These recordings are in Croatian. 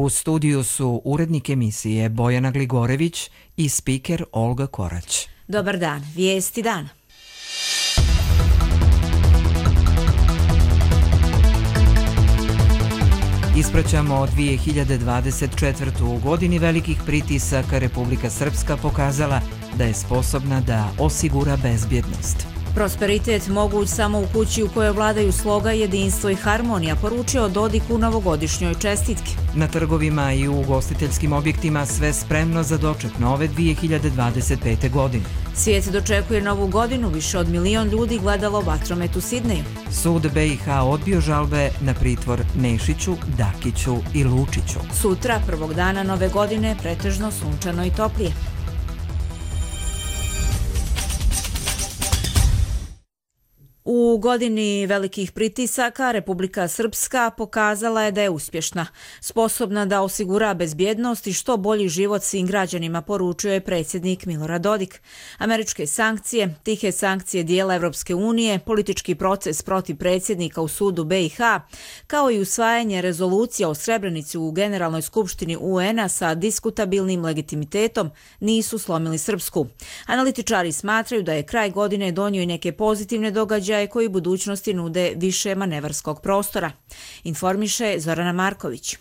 U studiju su urednik emisije Bojana Gligorević i spiker Olga Korać. Dobar dan, vijesti dana. Ispraćamo 2024. U godini velikih pritisaka Republika Srpska pokazala da je sposobna da osigura bezbjednost. Prosperitet moguć samo u kući u kojoj vladaju sloga, jedinstvo i harmonija, poručio Dodik u novogodišnjoj čestitki. Na trgovima i u ugostiteljskim objektima sve spremno za doček nove 2025. godine. Svijet dočekuje novu godinu, više od 1 milion ljudi gledalo vatromet u Sidneju. Sud BiH odbio žalbe na pritvor Nešiću, Dakiću i Lučiću. Sutra, prvog dana nove godine, pretežno sunčano i toplije. U godini velikih pritisaka Republika Srpska pokazala je da je uspješna, sposobna da osigura bezbjednost i što bolji život svim građanima, poručio je predsjednik Milorad Dodik. Američke sankcije, tihe sankcije dijela Evropske unije, politički proces protiv predsjednika u sudu BiH, kao i usvajanje rezolucija o Srebrenici u Generalnoj skupštini UN-a sa diskutabilnim legitimitetom nisu slomili Srpsku. Analitičari smatraju da je kraj godine donio i neke pozitivne događaje koji u budućnosti nude više manevarskog prostora. Informiše Zorana Marković.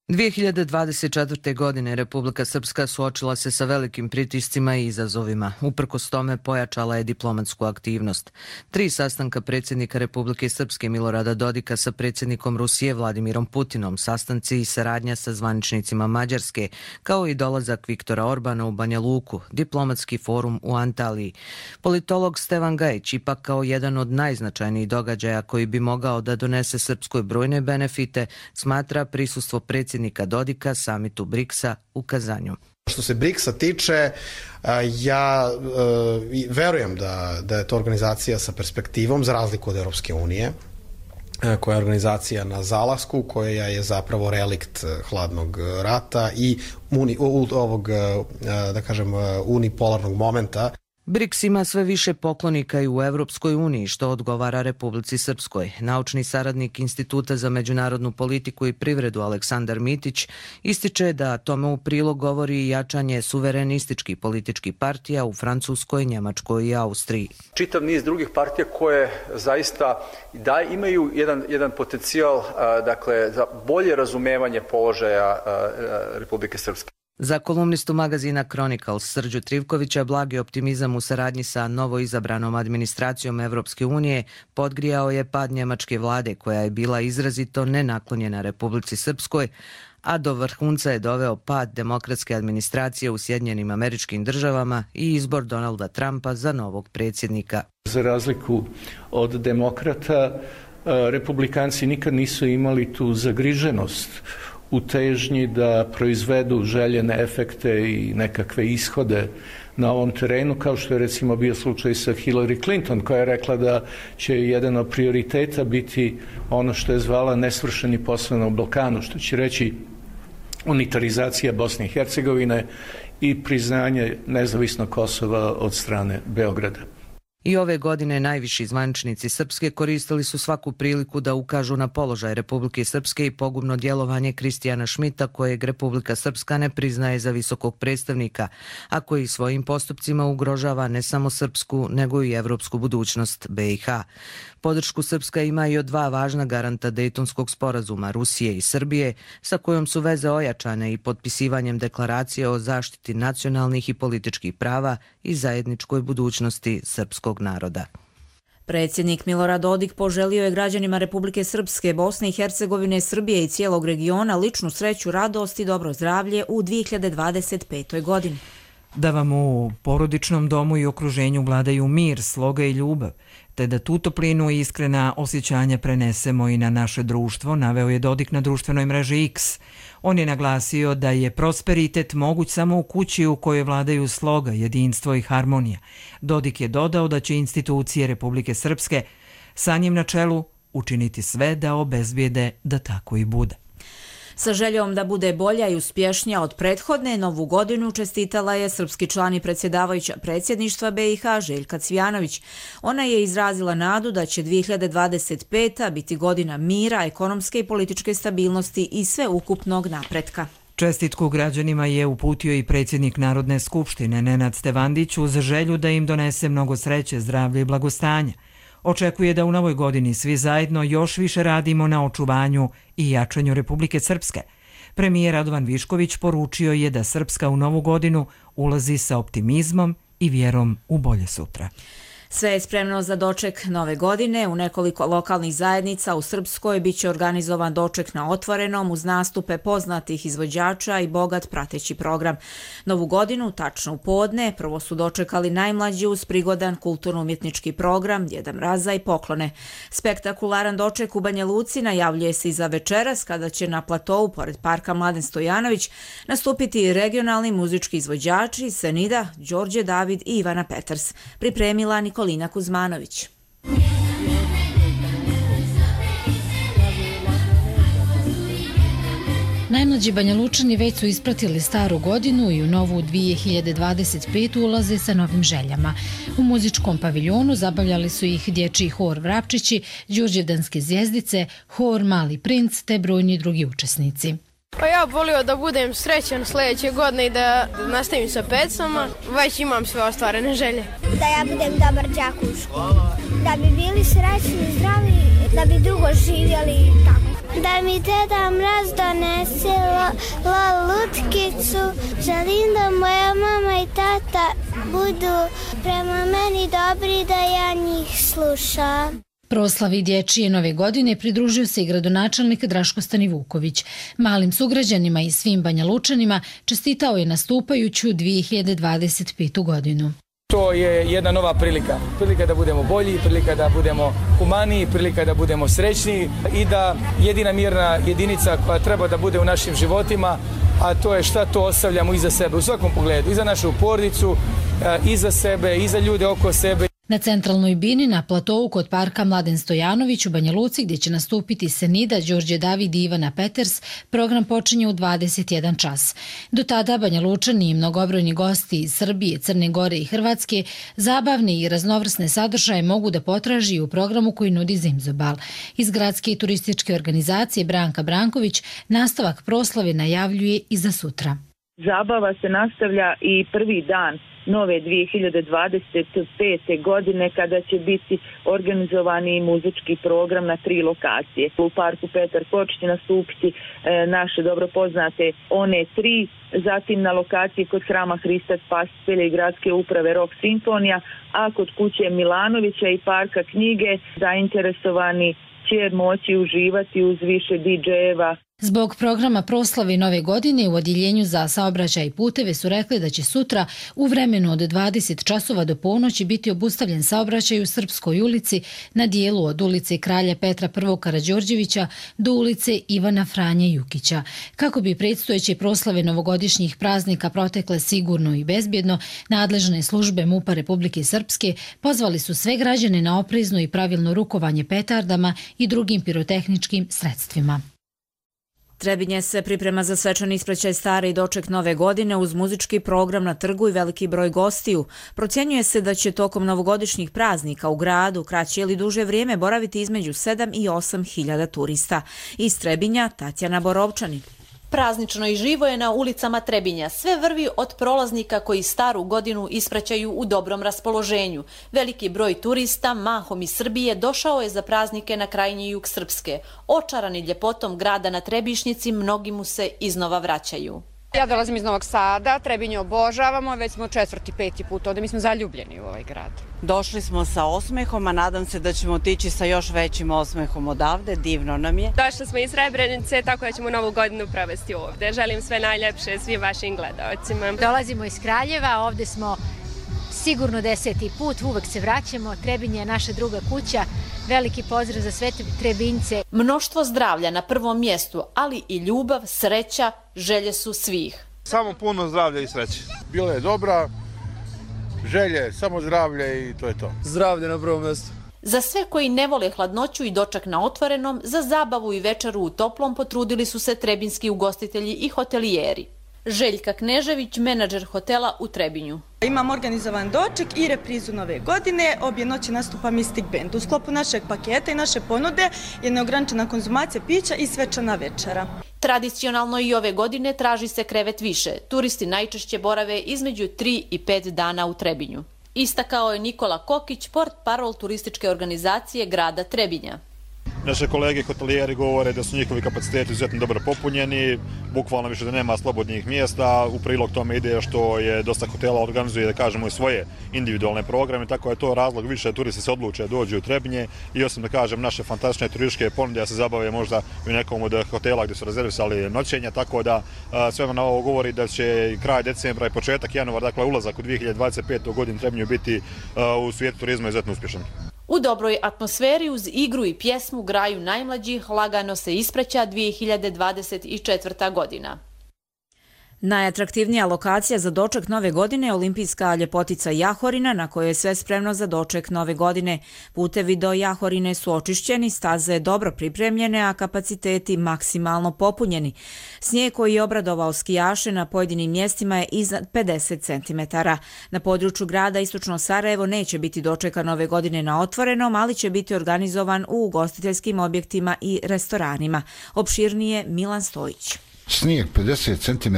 2024. godine Republika Srpska suočila se sa velikim pritiscima i izazovima. Uprkos tome pojačala je diplomatsku aktivnost. 3 sastanka predsjednika Republike Srpske Milorada Dodika sa predsjednikom Rusije Vladimirom Putinom, sastanci i saradnja sa zvaničnicima Mađarske, kao i dolazak Viktora Orbana u Banja Luku, diplomatski forum u Antaliji. Politolog Stevan Gajić ipak kao jedan od najznačajnijih događaja koji bi mogao da donese Srpskoj brojne benefite, smatra prisustvo predsjednika Dodika samitu BRICS-a u Kazanju. Što se BRICS-a tiče, ja verujem da je to organizacija sa perspektivom, za razliku od Europske unije, koja je organizacija na zalasku, koja je zapravo relikt hladnog rata i ovog, da kažem, unipolarnog momenta. BRICS ima sve više poklonika i u Evropskoj uniji, što odgovara Republici Srpskoj. Naučni saradnik Instituta za međunarodnu politiku i privredu Aleksandar Mitić ističe da tome u prilog govori i jačanje suverenističkih političkih partija u Francuskoj, Njemačkoj i Austriji. Čitav niz drugih partija koje zaista imaju jedan potencijal, dakle, za bolje razumevanje položaja Republike Srpske. Za kolumnistu magazina Chronicles Srđu Trivkovića blagi optimizam u saradnji sa novoizabranom administracijom Evropske unije podgrijao je pad njemačke vlade koja je bila izrazito nenaklonjena Republici Srpskoj, a do vrhunca je doveo pad demokratske administracije u Sjedinjenim Američkim Državama i izbor Donalda Trumpa za novog predsjednika. Za razliku od demokrata, republikanci nikad nisu imali tu zagriženost u težnji da proizvedu željene efekte i nekakve ishode na ovom terenu, kao što je recimo bio slučaj sa Hillary Clinton, koja je rekla da će jedan od prioriteta biti ono što je zvala nesvršeni posao na Balkanu, što će reći unitarizacija Bosne i Hercegovine i priznanje nezavisnog Kosova od strane Beograda. I ove godine najviši zvaničnici Srpske koristili su svaku priliku da ukažu na položaj Republike Srpske i pogubno djelovanje Kristijana Šmita, kojeg Republika Srpska ne priznaje za visokog predstavnika, a koji svojim postupcima ugrožava ne samo srpsku, nego i evropsku budućnost BiH. Podršku Srpska ima i od 2 važna garanta Dejtonskog sporazuma, Rusije i Srbije, sa kojom su veze ojačane i potpisivanjem deklaracije o zaštiti nacionalnih i političkih prava i zajedničkoj budućnosti srpskog naroda. Predsjednik Milorad Dodik poželio je građanima Republike Srpske, Bosne i Hercegovine, Srbije i cijelog regiona ličnu sreću, radost i dobro zdravlje u 2025. godini. Da vam u porodičnom domu i okruženju vladaju mir, sloga i ljubav, te da tu toplinu i iskrena osjećanja prenesemo i na naše društvo, naveo je Dodik na društvenoj mreži X. On je naglasio da je prosperitet moguć samo u kući u kojoj vladaju sloga, jedinstvo i harmonija. Dodik je dodao da će institucije Republike Srpske sa njim na čelu učiniti sve da obezbijede da tako i bude. Sa željom da bude bolja i uspješnija od prethodne, Novu godinu čestitala je srpski član i predsjedavajuća predsjedništva BiH Željka Cvijanović. Ona je izrazila nadu da će 2025. biti godina mira, ekonomske i političke stabilnosti i sveukupnog napretka. Čestitku građanima je uputio i predsjednik Narodne skupštine Nenad Stevandić uz želju da im donese mnogo sreće, zdravlja i blagostanja. Očekuje da u novoj godini svi zajedno još više radimo na očuvanju i jačanju Republike Srpske. Premijer Radovan Višković poručio je da Srpska u novu godinu ulazi sa optimizmom i vjerom u bolje sutra. Sve je spremno za doček nove godine. U nekoliko lokalnih zajednica u Srpskoj biće organizovan doček na otvorenom uz nastupe poznatih izvođača i bogat prateći program. Novu godinu, tačno u podne, prvo su dočekali najmlađi uz prigodan kulturno-umjetnički program, Djeda Mraza i poklone. Spektakularan doček u Banja Luci najavljuje se i za večeras kada će na platovu pored parka Mladen Stojanović nastupiti regionalni muzički izvođači Senida, Đorđe David i Ivana Peters. Pripremila Nikolina Kuzmanović. Najmlađi Banjalučani već su ispratili staru godinu i u novu 2025. ulaze sa novim željama. U muzičkom paviljonu zabavljali su ih dječji hor Vrapčići, Đurđevdanske zvjezdice, hor Mali princ te brojni drugi učesnici. Pa ja volio da budem srećan sljedeće godine i da nastavim sa pecama. Već imam sve ostvarene želje. Da ja budem dobar đak u školi. Da bi bili srećni, zdravi, da bi dugo živjeli i tako. Da mi Deda Mraz donese lutkicu. Želim da moja mama i tata budu prema meni dobri, da ja njih slušam. Proslavi dječje nove godine pridružio se i gradonačelnik Draško Stanivuković. Malim sugrađanima i svim Banjalučanima čestitao je nastupajuću 2025. godinu. To je jedna nova prilika. Prilika da budemo bolji, prilika da budemo humaniji, prilika da budemo srećniji i da jedina mirna jedinica koja treba da bude u našim životima, a to je šta to ostavljamo iza sebe u svakom pogledu, i za našu porodicu, i za sebe, i za ljude oko sebe. Na centralnoj bini na platovu kod parka Mladen Stojanović u Banja Luci, gdje će nastupiti Senida, Đorđe David i Ivana Peters, program počinje u 21 čas. Do tada Banja Lučani i mnogobrojni gosti iz Srbije, Crne Gore i Hrvatske zabavne i raznovrsne sadržaje mogu da potraži u programu koji nudi Zimzobal. Iz gradske i turističke organizacije Branka Branković nastavak proslave najavljuje i za sutra. Zabava se nastavlja i prvi dan nove 2025. godine kada će biti organizovani muzički program na 3 lokacije. U parku Petar Kočić će nastupiti naše dobro poznate One 3, zatim na lokaciji kod hrama Hrista Spasitelja i gradske uprave Rock Simfonija, a kod kuće Milanovića i parka Knjige zainteresovani će moći uživati uz više DJ-eva. Zbog programa proslave nove godine u Odjeljenju za saobraćaj i puteve su rekli da će sutra u vremenu od 20 časova do ponoći biti obustavljen saobraćaj u Srpskoj ulici na dijelu od ulice Kralja Petra I. Karađorđevića do ulice Ivana Franje Jukića. Kako bi predstojeće proslave novogodišnjih praznika protekle sigurno i bezbjedno, nadležne službe MUP-a Republike Srpske pozvali su sve građane na oprezno i pravilno rukovanje petardama i drugim pirotehničkim sredstvima. Trebinje se priprema za svečani ispraćaj stare i doček nove godine uz muzički program na trgu i veliki broj gostiju. Procjenjuje se da će tokom novogodišnjih praznika u gradu kraće ili duže vrijeme boraviti između 7 i 8 hiljada turista. Iz Trebinja, Tatjana Borovčanin. Praznično i živo je na ulicama Trebinja. Sve vrvi od prolaznika koji staru godinu ispraćaju u dobrom raspoloženju. Veliki broj turista, mahom iz Srbije, došao je za praznike na krajnji jug Srpske. Očarani ljepotom grada na Trebišnjici, mnogi mu se iznova vraćaju. Ja dolazim iz Novog Sada, Trebinje obožavamo, već smo 4., 5. put ovdje, mi smo zaljubljeni u ovaj grad. Došli smo sa osmehom, a nadam se da ćemo otići sa još većim osmehom odavde, divno nam je. Došli smo iz Srebrenice, tako da ćemo novu godinu provesti ovdje. Želim sve najljepše svim vašim gledaocima. Dolazimo iz Kraljeva, ovdje smo sigurno 10. put, uvek se vraćamo, Trebinje je naša druga kuća, veliki pozdrav za sve Trebinjce. Mnoštvo zdravlja na prvom mjestu, ali i ljubav, sreća, želje su svih. Samo puno zdravlja i sreće. Bila je dobra, želje, samo zdravlje i to je to. Zdravlje na prvom mjestu. Za sve koji ne vole hladnoću i doček na otvorenom, za zabavu i večeru u toplom potrudili su se trebinski ugostitelji i hotelijeri. Željka Knežević, menadžer hotela u Trebinju. Imam organizovan doček i reprizu Nove godine. Obje noći nastupa Mystic Band. U sklopu našeg paketa i naše ponude je neograničena konzumacija pića i svečana večera. Tradicionalno i ove godine traži se krevet više. Turisti najčešće borave između 3 i 5 dana u Trebinju. Istakao je Nikola Kokić, portparol turističke organizacije grada Trebinja. Naše kolege hotelijeri govore da su njihovi kapaciteti izuzetno dobro popunjeni, bukvalno više da nema slobodnih mjesta. U prilog tome ide što je dosta hotela organizuje, da kažemo, i svoje individualne programe, tako je to razlog više da turisti se odluče da dođu u Trebinje i osim da kažem naše fantastične turističke ponude da se zabave možda u nekom od hotela gdje su rezervisali noćenja, tako da sve na ovo govori da će kraj decembra i početak januara, dakle ulazak u 2025. godinu Trebinju biti u svijetu turizma izuzetno uspješan. U dobroj atmosferi uz igru i pjesmu graju najmlađih lagano se ispraća 2024. godina. Najatraktivnija lokacija za doček Nove godine je olimpijska ljepotica Jahorina, na kojoj je sve spremno za doček Nove godine. Putevi do Jahorine su očišćeni, staze dobro pripremljene, a kapaciteti maksimalno popunjeni. Snijeg koji je obradovao skijaše na pojedinim mjestima je iznad 50 cm. Na području grada Istočno Sarajevo neće biti dočeka Nove godine na otvorenom, ali će biti organizovan u ugostiteljskim objektima i restoranima. Opširnije Milan Stojić. Snijeg 50 cm,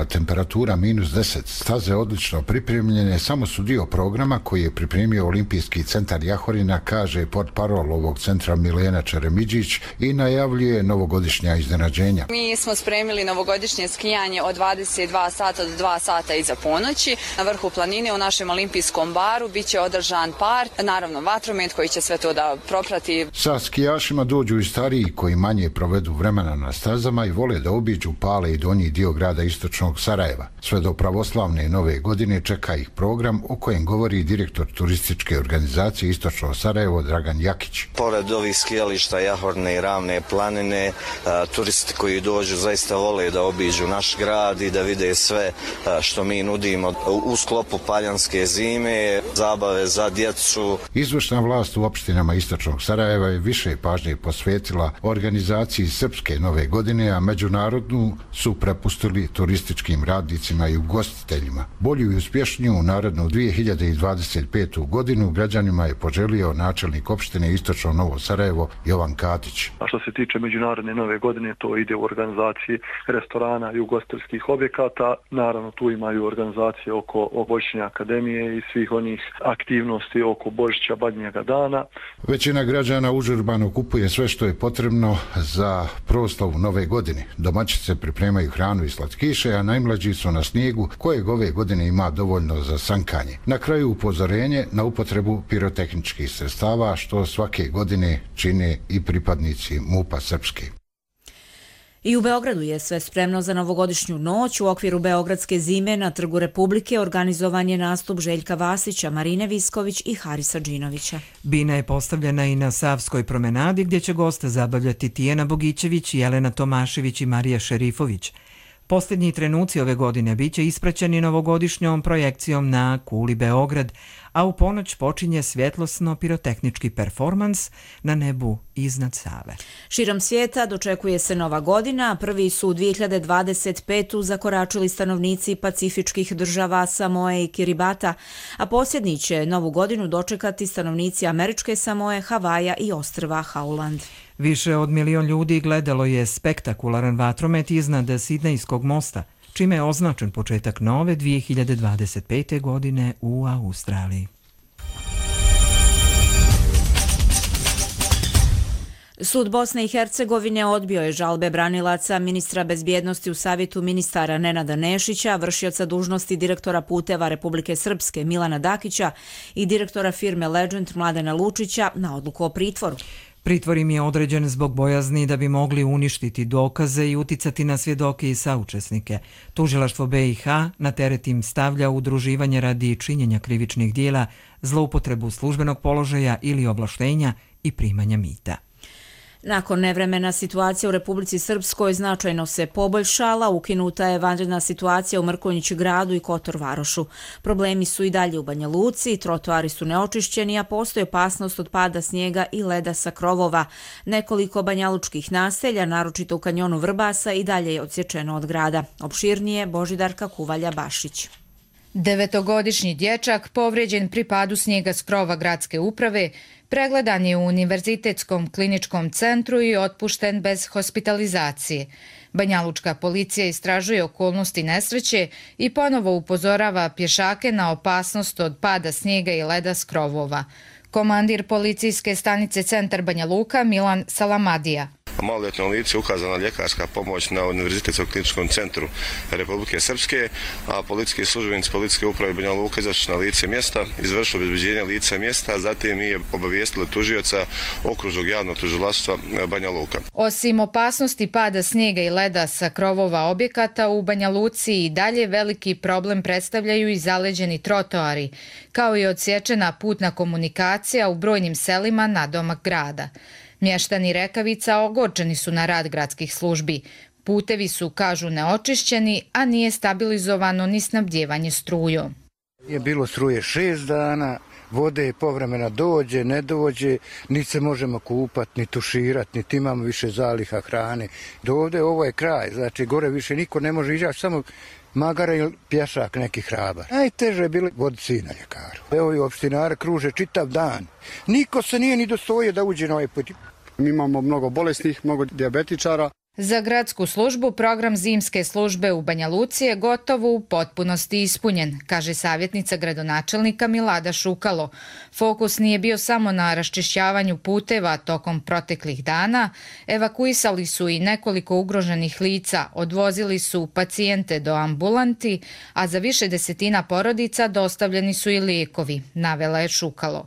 temperatura -10, staze odlično pripremljene, samo su dio programa koji je pripremio Olimpijski centar Jahorina, kaže portparol ovog centra Milena Čeremidžić i najavljuje novogodišnja iznenađenja. Mi smo spremili novogodišnje skijanje od 22 sata do 2 sata iza ponoći. Na vrhu planine u našem olimpijskom baru biće održan part, naravno vatromet koji će sve to da proprati. Sa skijašima dođu i stariji koji manje provedu vremena na stazama i vole da obiđu Pale i donji dio grada Istočnog Sarajeva. Sve do pravoslavne Nove godine čeka ih program o kojem govori direktor turističke organizacije Istočno Sarajevo Dragan Jakić. Pored ovih skijališta Jahorine i Ravne planine, turisti koji dođu zaista vole da obiđu naš grad i da vide sve što mi nudimo u sklopu paljanske zime, zabave za djecu. Izvršna vlast u opštinama Istočnog Sarajeva je više pažnje posvetila organizaciji Srpske Nove godine, a međunarodnu su prepustili turističkim radnicima i ugostiteljima. Bolju i uspješniju u narednu 2025. godinu građanima je poželio načelnik opštine Istočno Novo Sarajevo Jovan Katić. A što se tiče međunarodne Nove godine, to ide u organizaciji restorana i ugostiteljskih objekata. Naravno, tu imaju organizacije oko Božićne akademije i svih onih aktivnosti oko Božića Badnjega dana. Većina građana užurbano kupuje sve što je potrebno za proslavu Nove godine. Domaćice pripremaju hranu i slatkiše, a najmlađi su na snijegu kojeg ove godine ima dovoljno za sankanje. Na kraju upozorenje na upotrebu pirotehničkih sredstava, što svake godine čine i pripadnici MUP-a Srpske. I u Beogradu je sve spremno za novogodišnju noć. U okviru Beogradske zime na Trgu Republike organizovan je nastup Željka Vasića, Marine Visković i Harisa Džinovića. Bina je postavljena i na Savskoj promenadi gdje će goste zabavljati Tijena Bogićević, Jelena Tomašević i Marija Šerifović. Posljednji trenuci ove godine bit će ispraćeni novogodišnjom projekcijom na kuli Beograd, a u ponoć počinje svjetlosno-pirotehnički performans na nebu iznad Save. Širom svijeta dočekuje se Nova godina. Prvi su u 2025. zakoračili stanovnici pacifičkih država Samoe i Kiribata, a posljednji će Novu godinu dočekati stanovnici Američke Samoe, Havaja i ostrva Hauland. Više od 1 milion ljudi gledalo je spektakularan vatromet iznad Sidnejskog mosta, čime je označen početak nove 2025. godine u Australiji. Sud Bosne i Hercegovine odbio je žalbe branilaca ministra bezbjednosti u Savjetu ministara Nenada Nešića, vršioca dužnosti direktora puteva Republike Srpske Milana Dakića i direktora firme Legend Mladena Lučića na odluku o pritvoru. Pritvor im je određen zbog bojazni da bi mogli uništiti dokaze i uticati na svjedoke i saučesnike. Tužilaštvo BiH na teret im stavlja udruživanje radi činjenja krivičnih dijela, zloupotrebu službenog položaja ili ovlaštenja i primanja mita. Nakon nevremena situacija u Republici Srpskoj značajno se poboljšala, ukinuta je vanredna situacija u Mrkonjić gradu i Kotor Varošu. Problemi su i dalje u Banja Luci, trotoari su neočišćeni, a postoji opasnost od pada snijega i leda sa krovova. Nekoliko banjalučkih naselja, naročito u kanjonu Vrbasa, i dalje je odsječeno od grada. Opširnije Božidarka Kuvalja-Bašić. 9-godišnji dječak povrijeđen pri padu snijega s krova gradske uprave pregledan je u Univerzitetskom kliničkom centru i otpušten bez hospitalizacije. Banjalučka policija istražuje okolnosti nesreće i ponovo upozorava pješake na opasnost od pada snijega i leda s krovova. Komandir policijske stanice Centar Banja Luka Milan Salamadija. Maloljetnom licu ukazana ljekarska pomoć na Univerzitetskom kliničkom centru Republike Srpske, a policijski službenici policijske uprave Banja Luka izašli na lice mjesta, izvršili obezbeđenje lica mjesta, zatim je obavijestili tužioca okružnog javnog tužilaštva Banja Luka. Osim opasnosti pada snijega i leda sa krovova objekata, u Banja Luci i dalje veliki problem predstavljaju i zaleđeni trotoari, kao i odsječena putna komunikacija u brojnim selima nadomak grada. Mještani Rekavica ogorčeni su na rad gradskih službi. Putevi su, kažu, neočišćeni, a nije stabilizovano ni snabdjevanje strujom. Je bilo struje 6 dana, vode povremena dođe, ne dođe, niti se možemo kupati, ni tuširati, niti imamo više zaliha hrane. Do ovdje ovo je kraj, znači gore više niko ne može izaći, samo magara ili pješak neki hrabar. Najteže je bilo voditi sina ljekaru. Evo i opštinare kruže čitav dan. Niko se nije ni dostojio da uđe na ovaj put. Mi imamo mnogo bolesnih, mnogo dijabetičara. Za gradsku službu program zimske službe u Banja Luci je gotovo u potpunosti ispunjen, kaže savjetnica gradonačelnika Milada Šukalo. Fokus nije bio samo na raščišćavanju puteva tokom proteklih dana, evakuisali su i nekoliko ugroženih lica, odvozili su pacijente do ambulanti, a za više desetina porodica dostavljeni su i lijekovi, navela je Šukalo.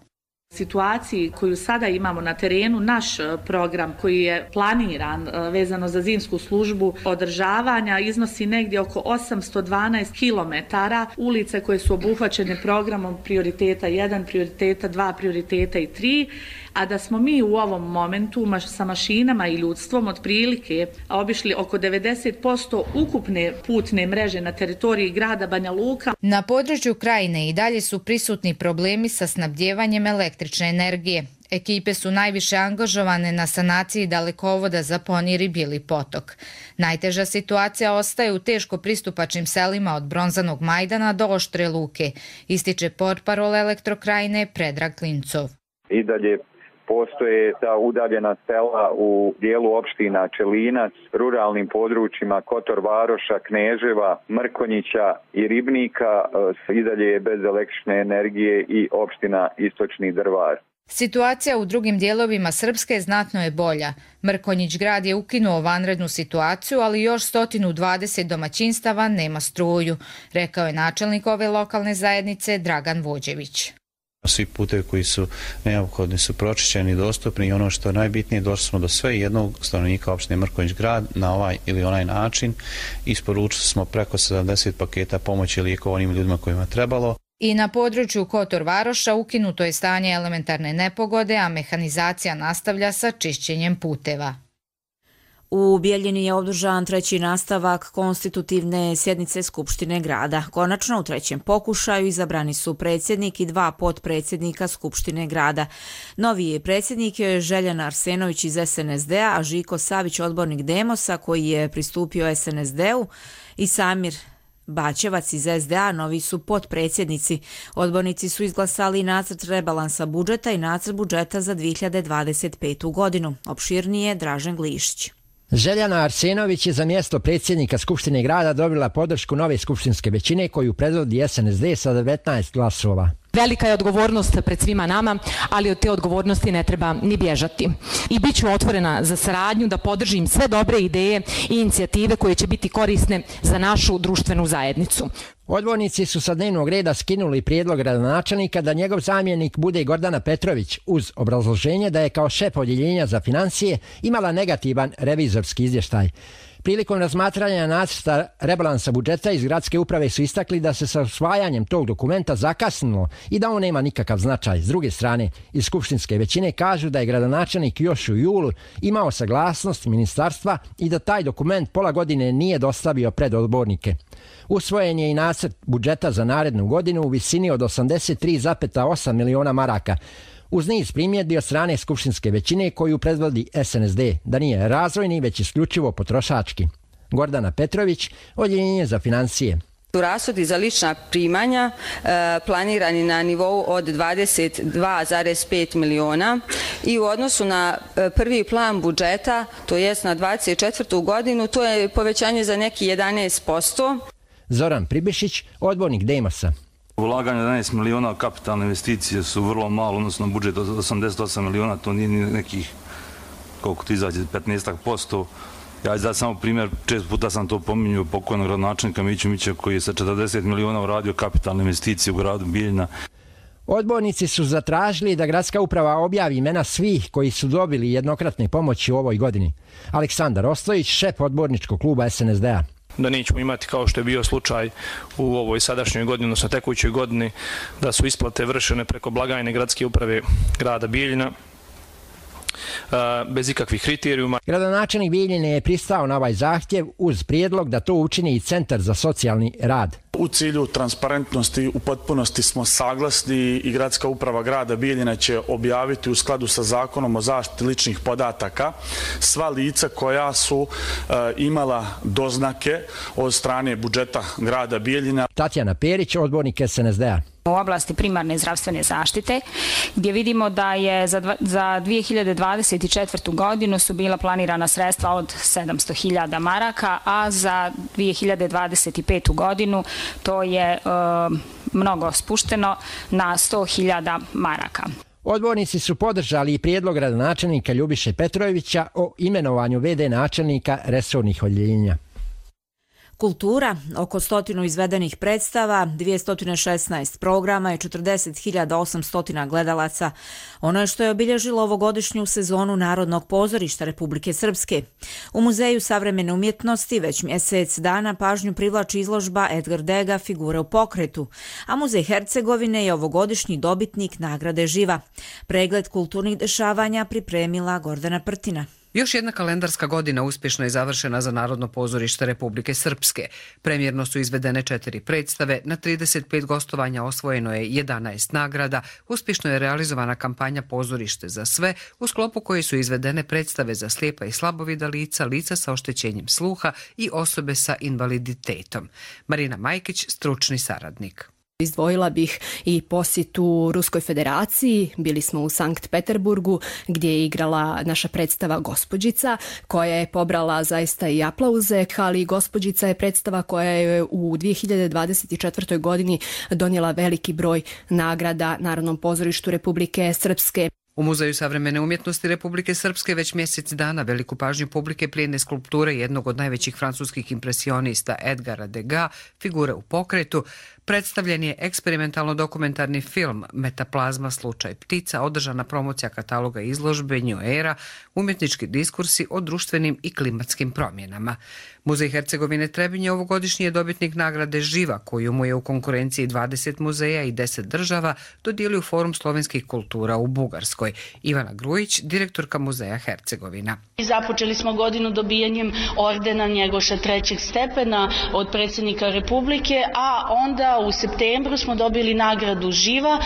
Situaciji koju sada imamo na terenu, naš program koji je planiran vezano za zimsku službu održavanja iznosi negdje oko 812 km ulice koje su obuhvaćene programom prioriteta 1, prioriteta 2, prioriteta i 3, a da smo mi u ovom momentu sa mašinama i ljudstvom otprilike obišli oko 90% ukupne putne mreže na teritoriji grada Banja Luka. Na području krajine i dalje su prisutni problemi sa snabdjevanjem električne energije. Ekipe su najviše angažovane na sanaciji dalekovoda za Ponir i Bili potok. Najteža situacija ostaje u teško pristupačnim selima od Bronzanog Majdana do Oštre Luke, ističe portparol Elektrokrajine Predrag Klincov. I dalje postoje ta udaljena sela u dijelu opština Čelinac, ruralnim područjima Kotor Varoša, Kneževa, Mrkonjića i Ribnika, i dalje je bez električne energije i opština Istočni Drvar. Situacija u drugim dijelovima Srpske znatno je bolja. Mrkonjić grad je ukinuo vanrednu situaciju, ali još 120 domaćinstava nema struju, rekao je načelnik ove lokalne zajednice Dragan Vođević. Svi putevi koji su neophodni su pročišćeni i dostupni i ono što je najbitnije, došli smo do sve jednog stanovnika opštine Mrkonjić grad na ovaj ili onaj način. Isporučili smo preko 70 paketa pomoći lijekova onim ljudima kojima trebalo. I na području Kotor Varoša ukinuto je stanje elementarne nepogode, a mehanizacija nastavlja sa čišćenjem puteva. U Bijeljini je održan treći nastavak konstitutivne sjednice Skupštine grada. Konačno u trećem pokušaju izabrani su predsjednik i 2 potpredsjednika Skupštine grada. Novi je predsjednik Željana Arsenović iz SNSD-a, a Žiko Savić, odbornik Demosa koji je pristupio SNSD-u, i Samir Bačevac iz SDA, novi su potpredsjednici. Odbornici su izglasali nacrt rebalansa budžeta i nacrt budžeta za 2025. godinu. Opširnije Dražen Glišić. Željana Arsenović je za mjesto predsjednika Skupštine grada dobila podršku nove skupštinske većine koju predvodi SNSD sa 19 glasova. Velika je odgovornost pred svima nama, ali od te odgovornosti ne treba ni bježati. I bit ću otvorena za saradnju da podržim sve dobre ideje i inicijative koje će biti korisne za našu društvenu zajednicu. Odbornici su sa dnevnog reda skinuli prijedlog gradonačelnika da njegov zamjenik bude Gordana Petrović uz obrazloženje da je kao šef odjeljenja za financije imala negativan revizorski izvještaj. Prilikom razmatranja nacrta rebalansa budžeta iz gradske uprave su istakli da se sa usvajanjem tog dokumenta zakasnilo i da on nema nikakav značaj. S druge strane, iz skupštinske većine kažu da je gradonačelnik još u julu imao saglasnost ministarstva i da taj dokument pola godine nije dostavio pred odbornike. Usvojen je i nacrt budžeta za narednu godinu u visini od 83,8 miliona maraka, uz niz primjedbi od strane skupštinske većine koju predvodi SNSD, da nije razvojni već isključivo potrošački. Gordana Petrović, Odjeljenje za financije. Rashodi za lična primanja planirani na nivou od 22,5 miliona i u odnosu na prvi plan budžeta, to jest na 24. godinu, to je povećanje za neki 11%. Zoran Pribišić, odbornik Demosa. Ulaganje 11 miliona kapitalne investicije su vrlo malo, odnosno budžet od 88 miliona, to nije nekih, koliko ti izađe, 15%. Ja ću dati samo primjer, često puta sam to pominjao pokojnog gradonačelnika Miću Mića koji je sa 40 miliona uradio kapitalne investicije u gradu Bijeljina. Odbornici su zatražili da gradska uprava objavi imena svih koji su dobili jednokratne pomoći u ovoj godini. Aleksandar Ostojić, šef odborničkog kluba SNSD-a. Da nećemo imati, kao što je bio slučaj u ovoj sadašnjoj godini, odnosno tekućoj godini, da su isplate vršene preko blagajne gradske uprave grada Bijeljina bez ikakvih kriterijuma. Gradonačelnik Bijeljine je pristao na ovaj zahtjev uz prijedlog da to učini i Centar za socijalni rad. U cilju transparentnosti u potpunosti smo saglasni i gradska uprava grada Bijeljina će objaviti u skladu sa zakonom o zaštiti ličnih podataka sva lica koja su imala doznake od strane budžeta grada Bijeljina. Tatjana Perić, odbornik SNSD-a. U oblasti primarne zdravstvene zaštite, gdje vidimo da je za 2024. godinu su bila planirana sredstva od 700.000 maraka, a za 2025. godinu to je mnogo spušteno na 100.000 maraka. Odbornici su podržali i prijedlog gradonačelnika Ljubiše Petrovića o imenovanju VD načelnika resornih odjeljenja. Kultura, oko 100 izvedenih predstava, 216 programa i 40.800 gledalaca. Ono je što je obilježilo ovogodišnju sezonu Narodnog pozorišta Republike Srpske. U Muzeju savremene umjetnosti već mjesec dana pažnju privlači izložba Edgar Dega Figure u pokretu, a Muzej Hercegovine je ovogodišnji dobitnik nagrade Živa. Pregled kulturnih dešavanja pripremila Gordana Prtina. Još jedna kalendarska godina uspješno je završena za Narodno pozorište Republike Srpske. Premjerno su izvedene 4 predstave, na 35 gostovanja osvojeno je 11 nagrada, uspješno je realizovana kampanja Pozorište za sve, u sklopu koje su izvedene predstave za slijepa i slabovida lica, lica sa oštećenjem sluha i osobe sa invaliditetom. Marina Majkić, stručni saradnik. Izdvojila bih i posjetu Ruskoj federaciji. Bili smo u Sankt Peterburgu gdje je igrala naša predstava Gospođica koja je pobrala zaista i aplauze, ali Gospođica je predstava koja je u 2024. godini donijela veliki broj nagrada Narodnom pozorištu Republike Srpske. U Muzeju savremene umjetnosti Republike Srpske već mjesec dana veliku pažnju publike plijene skulpture jednog od najvećih francuskih impresionista Edgara Degas, Figure u pokretu. Predstavljen je eksperimentalno-dokumentarni film Metaplazma slučaj ptica, održana promocija kataloga izložbe New Era, umjetnički diskursi o društvenim i klimatskim promjenama. Muzej Hercegovine Trebinje ovogodišnji je dobitnik nagrade Živa, koju mu je u konkurenciji 20 muzeja i 10 država dodijelio Forum slovenskih kultura u Bugarskoj. Ivana Grujić, direktorka Muzeja Hercegovina. Započeli smo godinu dobijanjem ordena Njegoša 3. stepena od predsjednika Republike, a onda u septembru smo dobili nagradu Živa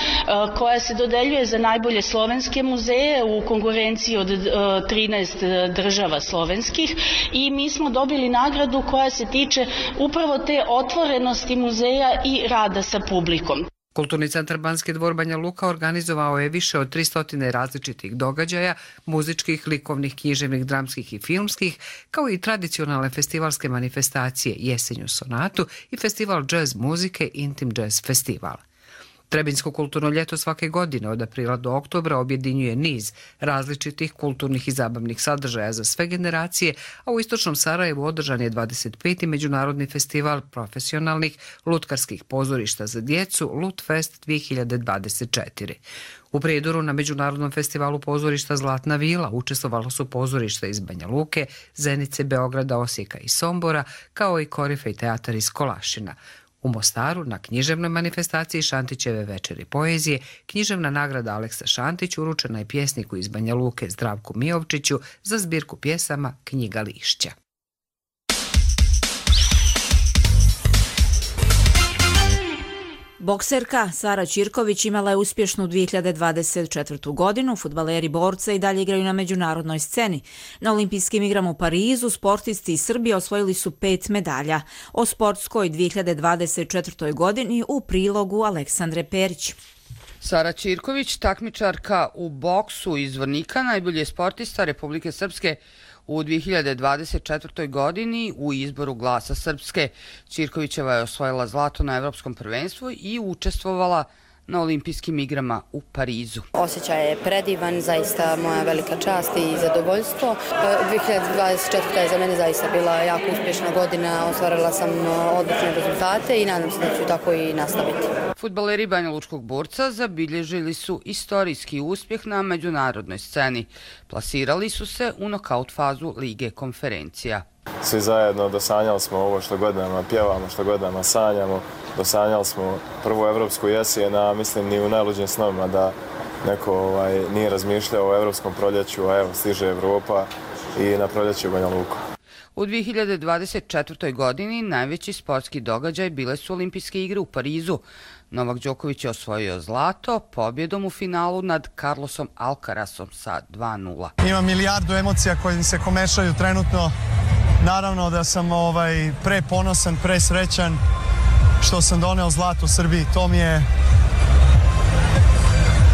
koja se dodeljuje za najbolje slovenske muzeje u konkurenciji od 13 država slovenskih i mi smo dobili nagradu koja se tiče upravo te otvorenosti muzeja i rada sa publikom. Kulturni centar Banski dvor Banja Luka organizovao je više od 300 različitih događaja, muzičkih, likovnih, književnih, dramskih i filmskih, kao i tradicionalne festivalske manifestacije Jesenju sonatu i festival džez muzike Intim Jazz Festival. Trebinjsko kulturno ljeto svake godine od aprila do oktobra objedinjuje niz različitih kulturnih i zabavnih sadržaja za sve generacije, a u istočnom Sarajevu održan je 25. međunarodni festival profesionalnih lutkarskih pozorišta za djecu Lutfest 2024. U Prijedoru na Međunarodnom festivalu pozorišta Zlatna vila učestvovalo su pozorišta iz Banja Luke, Zenice, Beograda, Osijeka i Sombora, kao i Korifej teatar iz Kolašina. U Mostaru na književnoj manifestaciji Šantićeve večeri poezije književna nagrada Aleksa Šantić uručena je pjesniku iz Banja Luke Zdravku Mijovčiću za zbirku pjesama Knjiga lišća. Bokserka Sara Ćirković imala je uspješnu 2024. godinu. Fudbaleri borca i dalje igraju na međunarodnoj sceni. Na olimpijskim igrama u Parizu sportisti iz Srbije osvojili su 5 medalja. O sportskoj 2024. godini u prilogu Aleksandre Perić. Sara Ćirković, takmičarka u boksu iz Zvornika, najbolji je sportista Republike Srpske u 2024. godini u izboru Glasa Srpske. Ćirkovićeva je osvojila zlato na Evropskom prvenstvu i učestvovala na olimpijskim igrama u Parizu. Osjećaj je predivan, zaista moja velika čast i zadovoljstvo. 2024. je za mene zaista bila jako uspješna godina, ostvarila sam odlične rezultate i nadam se da ću tako i nastaviti. Fudbaleri Banja Lučkog borca zabilježili su istorijski uspjeh na međunarodnoj sceni. Plasirali su se u nokaut fazu Lige konferencija. Svi zajedno dosanjali smo ovo što godinama pjevamo, što godinama sanjamo. Dosanjali smo prvu evropsku jesen, a mislim ni u najluđim snovima da neko nije razmišljao o evropskom proljeću, a evo stiže Evropa i na proljeću u Banja Luku. U 2024. godini najveći sportski događaj bile su olimpijske igre u Parizu. Novak Đoković je osvojio zlato pobjedom u finalu nad Carlosom Alcarasom sa 2:0. Ima milijardu emocija koje se komešaju trenutno. Naravno da sam preponosan, presrećan što sam doneo zlato Srbiji. To mi je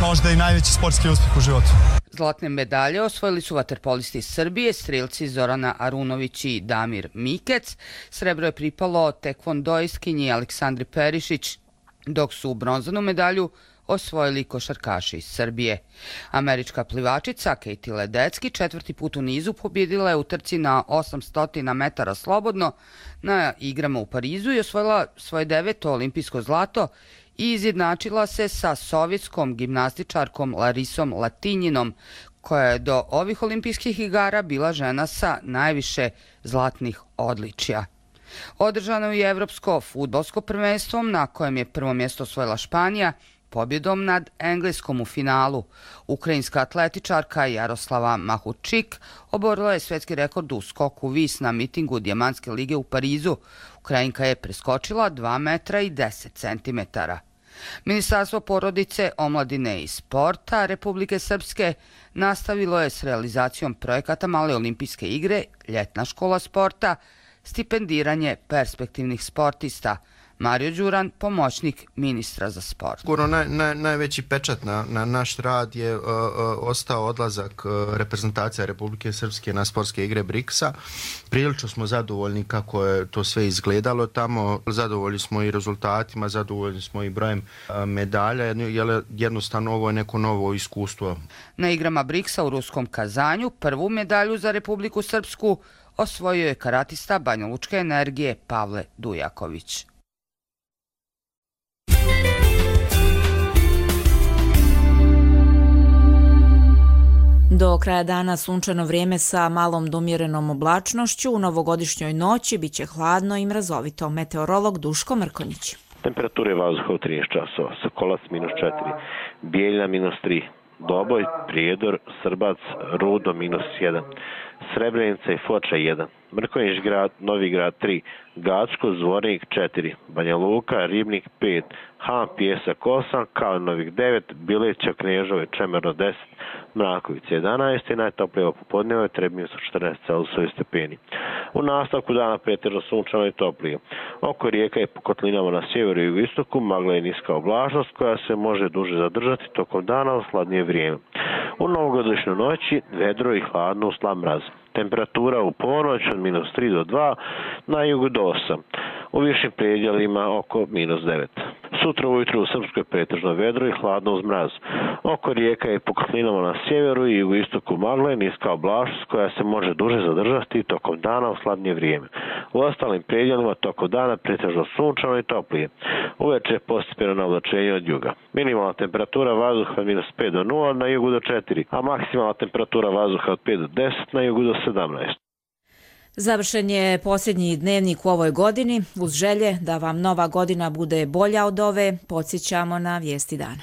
možda i najveći sportski uspjeh u životu. Zlatne medalje osvojili su vaterpolisti iz Srbije, strelci Zorana Arunović i Damir Mikec. Srebro je pripalo tekvondoistkinji Aleksandri Perišić, dok su bronzanu medalju osvojili košarkaši iz Srbije. Američka plivačica Katie Ledecki 4. put u nizu pobjedila je u trci na 800 metara slobodno na igrama u Parizu i osvojila svoje 9. olimpijsko zlato i izjednačila se sa sovjetskom gimnastičarkom Larisom Latinjinom, koja je do ovih olimpijskih igara bila žena sa najviše zlatnih odličja. Održano je evropsko fudbalsko prvenstvo na kojem je prvo mjesto osvojila Španija pobjedom nad Engleskom u finalu. Ukrajinska atletičarka Jaroslava Mahučik oborila je svjetski rekord u skoku vis na mitingu Dijamantske lige u Parizu. Ukrajinka je preskočila 2 metra i 10 centimetara. Ministarstvo porodice, omladine i sporta Republike Srpske nastavilo je s realizacijom projekata Male olimpijske igre, ljetna škola sporta, stipendiranje perspektivnih sportista. Mario Đuran, pomoćnik ministra za sport. Najveći pečat na naš rad je ostao odlazak reprezentacija Republike Srpske na sportske igre BRICS-a. Prilično smo zadovoljni kako je to sve izgledalo tamo. Zadovoljni smo i rezultatima, zadovoljni smo i brojem medalja. Jednostavno ovo je neko novo iskustvo. Na igrama BRICS-a u ruskom Kazanju prvu medalju za Republiku Srpsku osvojio je karatista Banjalučke energije Pavle Dujaković. Do kraja dana sunčano vrijeme sa malom do umjerenom oblačnošću. U novogodišnjoj noći biće hladno i mrazovito. Meteorolog Duško Mrkonjić. Temperature vazduha u 13 časova. Sokolac -4, Bijeljina -3, Doboj, Prijedor, Srbac, Rudo -1, Srebrenica i Foča 1, Mrkonjić grad, Novi grad 3, Gacko, Zvornik 4, Banja Luka, Ribnik 5, Han, Pijesak 8, Kalinovik 9, Bileća, Knežove, Čemerno 10, Mrakovica 11 i najtoplije popodneva je Trebinje su 14 celzijusovih stepeni. U nastavku dana pretežno sunčano i toplije. Oko rijeka i po kotlinama na sjeveru i jugoistoku magla je niska oblačnost koja se može duže zadržati tokom dana u hladnije vrijeme. U novogodišnjoj noći vedro i hladno u slab mraz. Temperatura u ponoć od -3 do 2, na jugu do 8. U višim predjelima oko -9. Sutra ujutro u Srpskoj pretežno vedro i hladno uz mraz. Oko rijeka i po kotlinama na sjeveru i jugoistoku magla je niska oblačnost koja se može duže zadržati tokom dana u hladnije vrijeme. U ostalim predjelima tokom dana pretežno sunčano i toplije. Uveče je postepeno navlačenje od juga. Minimalna temperatura vazduha od -5 do 0 na jugu do 4, a maksimalna temperatura vazduha od 5 do 10 na jugu do 17. Završen je posljednji dnevnik u ovoj godini. Uz želje da vam nova godina bude bolja od ove, podsjećamo na vijesti dana.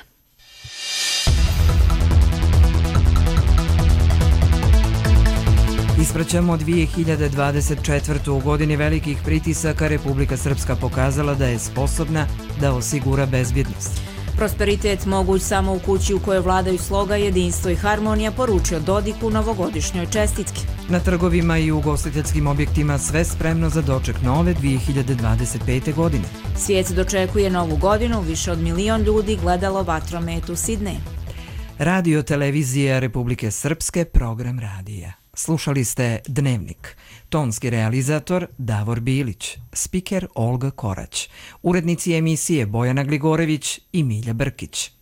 Ispraćamo 2024. U godini velikih pritisaka Republika Srpska pokazala da je sposobna da osigura bezbjednost. Prosperitet moguć samo u kući u kojoj vladaju sloga, jedinstvo i harmonija, poručio Dodik u novogodišnjoj čestitki. Na trgovima i ugostiteljskim objektima sve spremno za doček nove 2025. godine. Svijet dočekuje novu godinu, više od 1 milion ljudi gledalo vatromet u Sidneju. Radio televizija Republike Srpske, program radija. Slušali ste Dnevnik. Tonski realizator Davor Bilić, spiker Olga Korać, urednici emisije Bojana Gligorević i Milja Brkić.